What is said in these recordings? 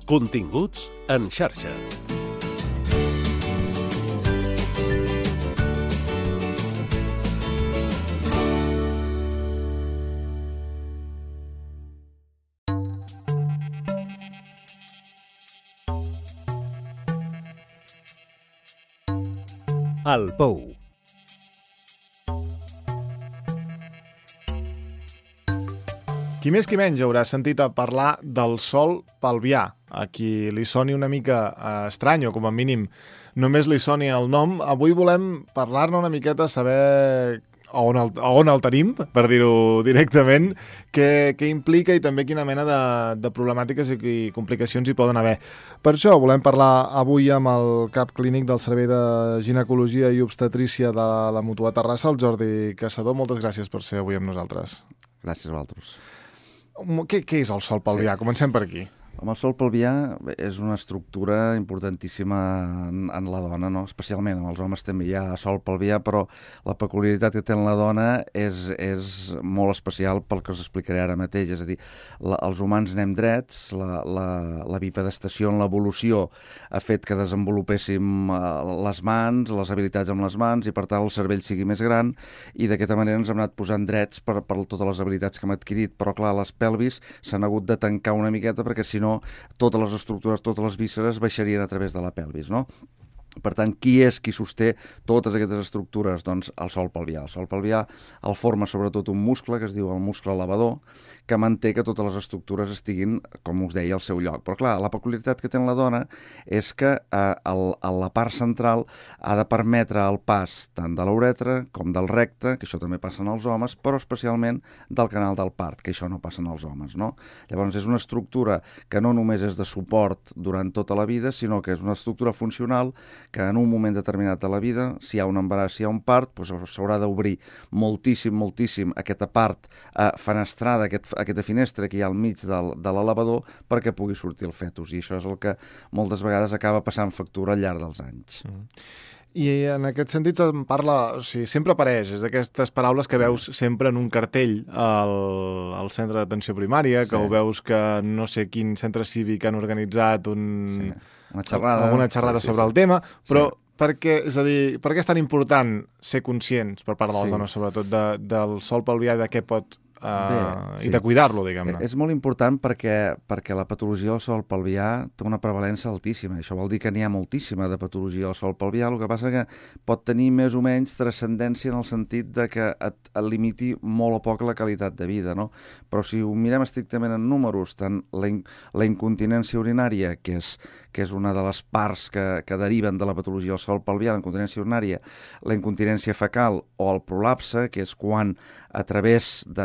Continguts en xarxa. El Pou. Qui més qui menys haurà sentit a parlar del sol pelvià. A qui li soni una mica estrany, o com a mínim només li soni el nom, avui volem parlar-ne una miqueta, saber on el tenim, per dir-ho directament, què implica i també quina mena de problemàtiques i complicacions hi poden haver. Per això volem parlar avui amb el cap clínic del Servei de Ginecologia i Obstetrícia de la Mútua Terrassa, el Jordi Caçador. Moltes gràcies per ser avui amb nosaltres. Gràcies a vosaltres. Què és el sol pelvià? Sí. Comencem per aquí. El sol pelvià és una estructura importantíssima en la dona, no? Especialment amb els homes també hi ha sol pelvià, però la peculiaritat que té en la dona és molt especial pel que us explicaré ara mateix. És a dir, els humans anem drets, la bipedestació en l'evolució ha fet que desenvolupéssim les mans, les habilitats amb les mans, i per tant el cervell sigui més gran, i d'aquesta manera ens hem anat posant drets per totes les habilitats que hem adquirit. Però clar, les pelvis s'han hagut de tancar una miqueta perquè si no totes les estructures, totes les vísceres baixarien a través de la pelvis, no? Per tant, qui és qui sosté totes aquestes estructures? Doncs el sol pelvià. El sol pelvià el forma sobretot un muscle que es diu el muscle elevador, que manté que totes les estructures estiguin, com us deia, al seu lloc. Però clar, la peculiaritat que té la dona és que a la part central ha de permetre el pas tant de l'uretra com del recte, que això també passa en els homes, però especialment del canal del part, que això no passa en els homes, no? Llavors és una estructura que no només és de suport durant tota la vida, sinó que és una estructura funcional que en un moment determinat de la vida, si hi ha un embaràs, si hi ha un part, doncs s'haurà d'obrir moltíssim aquesta part fenestrada, aquesta finestra que hi ha al mig de l'elevador perquè pugui sortir el fetus, i això és el que moltes vegades acaba passant factura al llarg dels anys. I en aquest sentit parla, o sigui, sempre apareix, és d'aquestes paraules que veus sempre en un cartell al centre d'atenció primària, que ho veus que no sé quin centre cívic han organitzat alguna xerrada sobre el tema, però per què és tan important ser conscients per part de les dones, sobretot del sol pelvià i de què pot i de cuidar-lo, diguem-ne. És molt important perquè la patologia del sol pelvià té una prevalença altíssima. Això vol dir que n'hi ha moltíssima de patologia del sol pelvià. El que passa que pot tenir més o menys transcendència en el sentit de que et limiti molt o poc la qualitat de vida, no? Però si ho mirem estrictament en números, tant la incontinència urinària, que és una de les parts que deriven de la patologia del sol pelvià, la incontinència urinària, la incontinència fecal o el prolapse, que és quan a través de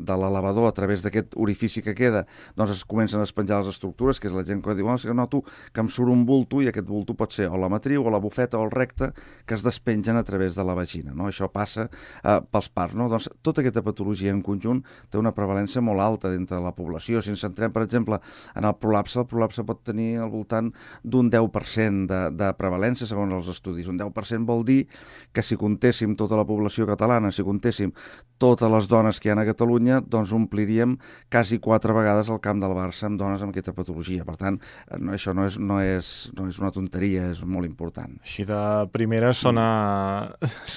l'elevador, a través d'aquest orifici que queda, doncs es comencen a despenjar les estructures, que és la gent que diu, que noto que em surt un bulto, i aquest bulto pot ser o la matriu, o la bufeta, o el recte, que es despengen a través de la vagina, no? Això passa pels parts, no? Doncs tota aquesta patologia en conjunt té una prevalència molt alta dintre de la població. Si ens centrem, per exemple, en el prolapse pot tenir al voltant d'un 10% de prevalència, segons els estudis. Un 10% vol dir que si comptéssim tota la població catalana, si comptéssim totes les dones que hi ha a Catalunya, doncs ompliríem quasi 4 vegades el camp del Barça amb dones amb aquesta patologia. Per tant, això no és una tonteria, és molt important. Així de primera sona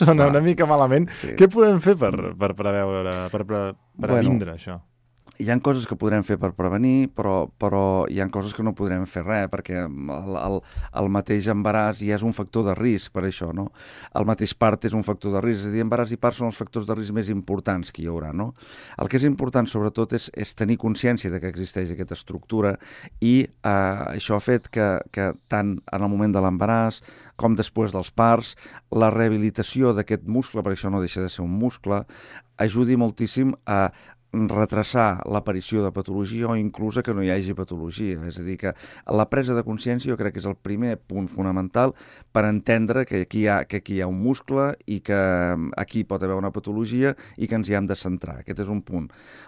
una mica malament. Sí. Què podem fer per preveure, per avindre això? Hi ha coses que podrem fer per prevenir, però hi ha coses que no podrem fer res, perquè el mateix embaràs ja és un factor de risc per això, no? El mateix part és un factor de risc, és a dir, embaràs i part són els factors de risc més importants que hi haurà, no? El que és important, sobretot, és tenir consciència de que existeix aquesta estructura, i això ha fet que tant en el moment de l'embaràs com després dels parts, la rehabilitació d'aquest muscle, perquè això no deixa de ser un muscle, ajudi moltíssim a retrasar l'aparició de patologia o inclús que no hi hagi patologia. És a dir, que la presa de consciència jo crec que és el primer punt fonamental per entendre que aquí hi ha un muscle i que aquí pot haver una patologia i que ens hi hem de centrar. Aquest és un punt.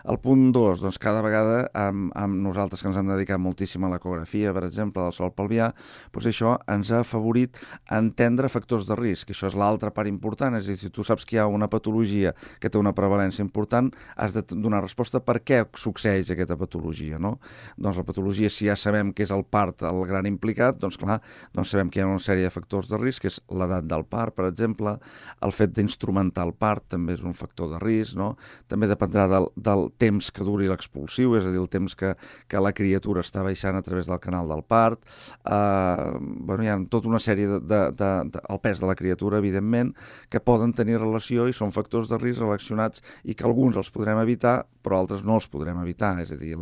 El punt 2, doncs cada vegada amb nosaltres que ens hem dedicat moltíssim a l'ecografia, per exemple, del sol pelvià, doncs això ens ha afavorit a entendre factors de risc. Això és l'altra part important. És a dir, si tu saps que hi ha una patologia que té una prevalència important, has de donar donar resposta per què succeeix aquesta patologia, no? Doncs la patologia, si ja sabem que és el part el gran implicat, doncs clar, doncs sabem que hi ha una sèrie de factors de risc, que és l'edat del part, per exemple, el fet d'instrumentar el part també és un factor de risc, no? També dependrà del temps que duri l'expulsiu, és a dir, el temps que la criatura està baixant a través del canal del part. Bueno, hi ha tota una sèrie el pes de la criatura, evidentment, que poden tenir relació i són factors de risc relacionats i que alguns els podrem evitar, però altres no els podrem evitar. És a dir,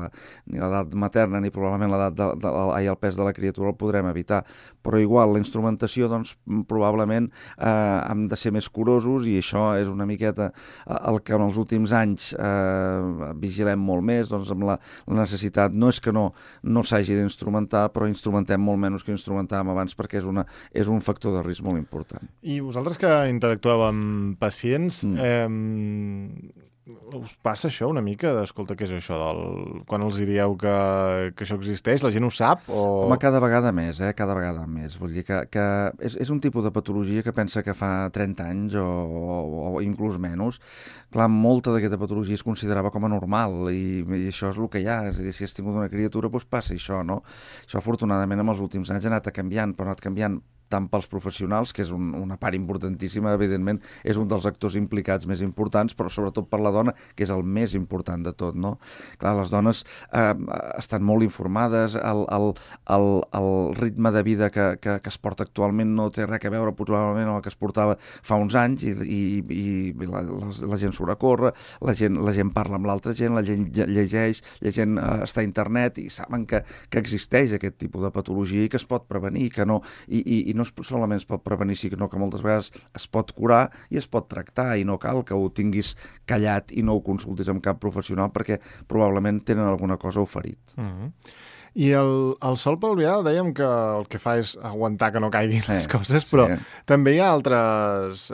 ni l'edat materna ni probablement el pes de la criatura el podrem evitar. Però igual, la instrumentació, doncs, probablement hem de ser més curosos i això és una miqueta el que en els últims anys vigilem molt més, doncs amb la necessitat, no és que no s'hagi d'instrumentar, però instrumentem molt menys que instrumentàvem abans perquè és un factor de risc molt important. I vosaltres que interactueu amb pacients, us passa això una mica d'escolta, què és això? Quan els dieu que això existeix, la gent ho sap? Home, cada vegada més, cada vegada més. Vull dir que és un tipus de patologia que pensa que fa 30 anys o inclús menys. Clar, molta d'aquesta patologia es considerava com a normal i això és el que hi ha. És a dir, si has tingut una criatura, doncs passa això, no? Això, afortunadament, en els últims anys ha anat canviant, però ha anat canviant tant pels professionals, que és una part importantíssima, evidentment, és un dels actors implicats més importants, però sobretot per la dona, que és el més important de tot, no? Clar, les dones estan molt informades, el ritme de vida que es porta actualment no té res a veure probablement amb el que es portava fa uns anys i la gent surt a córrer, la gent parla amb l'altra gent, la gent llegeix, la gent està a internet i saben que existeix aquest tipus de patologia i que es pot prevenir, que no... I no solament es pot prevenir, sinó que moltes vegades es pot curar i es pot tractar i no cal que ho tinguis callat i no ho consultis amb cap professional perquè probablement tenen alguna cosa oferit. I el sol pelvià dèiem que el que fa és aguantar que no caiguin les coses, però també hi ha altres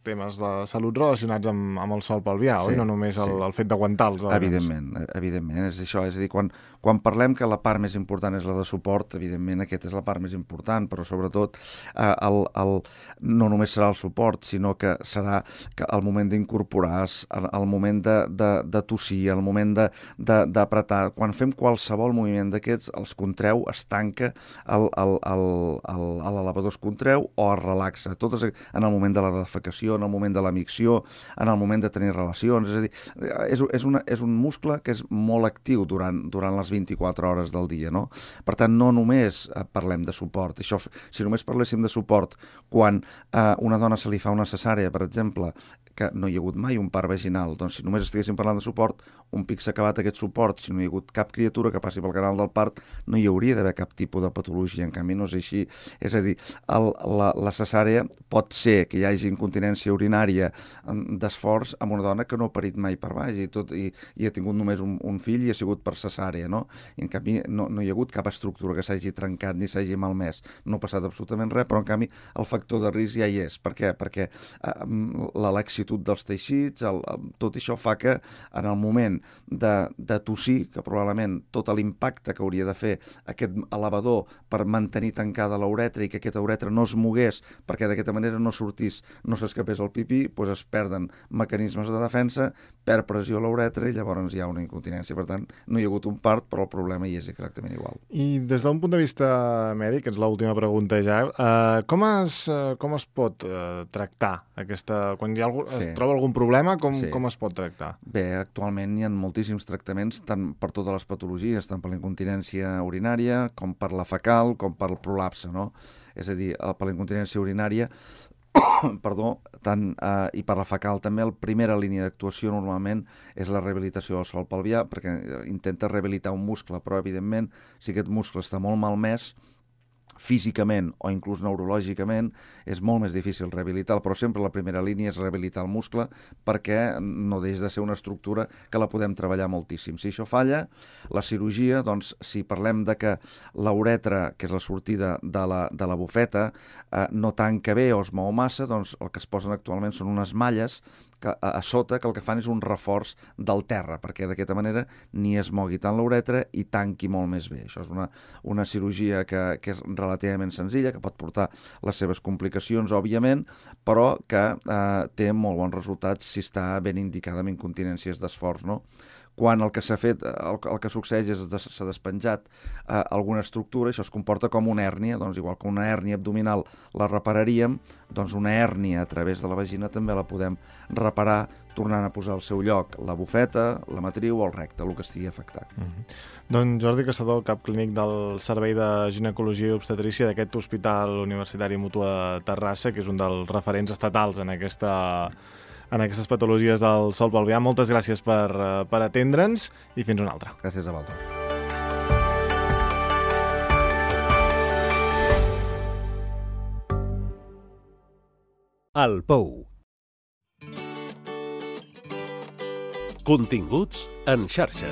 temes de salut relacionats amb el sol pelvià, oi? No només el fet d'aguantar els òrgans. Evidentment, és això. És a dir, quan parlem que la part més important és la de suport, evidentment aquesta és la part més important, però sobretot no només serà el suport, sinó que serà el moment d'incorporar, el moment de tossir, el moment d'apretar. Quan fem qualsevol moviment d'aquests, els contreu, es tanca, l'elevador es contreu o es relaxa. Tot en el moment de la defecació, en el moment de la micció, en el moment de tenir relacions. És a dir, és un muscle que és molt actiu durant les 24 hores del dia, no? Per tant, no només parlem de suport. Això, si només parléssim de suport quan a una dona se li fa una cesàrea, per exemple, que no hi ha hagut mai un part vaginal, doncs si només estiguéssim parlant de suport, un pic s'ha acabat aquest suport, si no hi ha hagut cap criatura que passi pel canal del part, no hi hauria d'haver cap tipus de patologia, en canvi no és així. És a dir, la cesàrea pot ser que hi hagi incontinència urinària d'esforç amb una dona que no ha parit mai per baix i ha tingut només un fill i ha sigut per cesàrea, no? I en canvi no hi ha hagut cap estructura que s'hagi trencat ni s'hagi malmès. No ha passat absolutament res, però en canvi el factor de risc ja hi és. Per què? Perquè la laxitud dels teixits, tot això fa que en el moment de tossir, que probablement tot l'impacte que hauria de fer aquest elevador per mantenir tancada l'uretra i que aquesta uretra no es mogués perquè d'aquesta manera no sortís, no s'escapés el pipí, doncs es perden mecanismes de defensa, perd pressió a l'uretra i llavors hi ha una incontinència. Per tant, no hi ha hagut un part, però el problema hi és exactament igual. I des d'un punt de vista mèdic, que és l'última pregunta ja, com es pot tractar aquesta... Quan es troba algun problema, com es pot tractar? Bé, actualment hi ha moltíssims tractaments, tant per totes les patologies, tant per la incontinència urinària, com per la fecal, com per el prolapse, no? És a dir, per la incontinència urinària, i per la fecal també, la primera línia d'actuació normalment és la rehabilitació del sòl pelvià, perquè intenta rehabilitar un muscle, però evidentment, si aquest muscle està molt malmès, físicament o inclús neurològicament, és molt més difícil rehabilitar, però sempre la primera línia és rehabilitar el muscle perquè no deixa de ser una estructura que la podem treballar moltíssim. Si això falla, la cirurgia, doncs, si parlem de que la uretra, que és la sortida de la bufeta, no tanca bé o es mou massa, doncs el que es posen actualment són unes malles a sota, que el que fan és un reforç del terra, perquè d'aquesta manera ni es mogui tant la uretra i tanqui molt més bé. Això és una cirurgia que és relativament senzilla, que pot portar les seves complicacions, òbviament, però que té molt bons resultats si està ben indicada amb incontinències d'esforç, no? Quan el que s'ha fet, el que succeeix és que s'ha despenjat alguna estructura, això es comporta com una hèrnia, doncs igual que una hèrnia abdominal la repararíem, doncs una hèrnia a través de la vagina també la podem reparar tornant a posar al seu lloc la bufeta, la matriu o el recte, el que estigui afectat. Doncs Jordi Caçador, cap clínic del Servei de Ginecologia i Obstetrícia d'aquest Hospital Universitari Mútua de Terrassa, que és un dels referents estatals en aquestes patologies del sòl pelvià. Moltes gràcies per atendre'ns i fins una altra. Gràcies a vosaltres. El Pou. Continguts en xarxa.